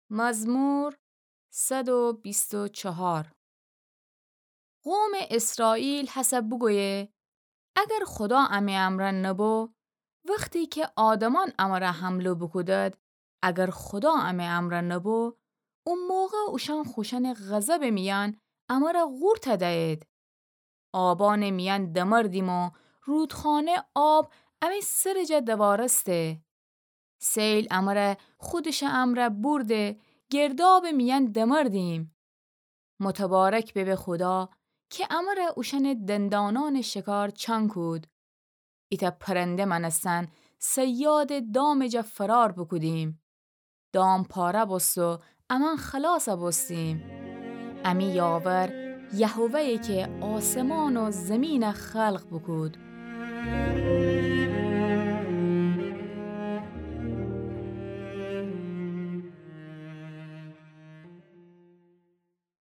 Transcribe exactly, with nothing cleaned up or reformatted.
مزمور صد و بیست و چهار. قومٚ اسرائیل هسه بوگویه، اگر خودا امه امرأ نبو، وختی کی آدمأن امره حمله بوکودید، اگر خودا امه امرأ نبو، او موقع اوشأن خوشأنٚ غضبٚ میأن امره قورت دأیید. آبأنٚ میأن دمردیم و رودخانه آب امه سرٚ جا دوارسته. سیل امره خودشٚ امرأ بورده، گردابٚ میأن دمردیم. متبارک ببه خودا کی امره اوشأنٚ دندانأنٚ شکار چأن کود. ایتأ پرنده مأنستن صیادٚ دامٚ جا فرار بوکودیم. دام پاره بوست و امأن خلاص بوستیم. امی یاور یهوه‌یه کی آسمان و زیمین خلق بوکود.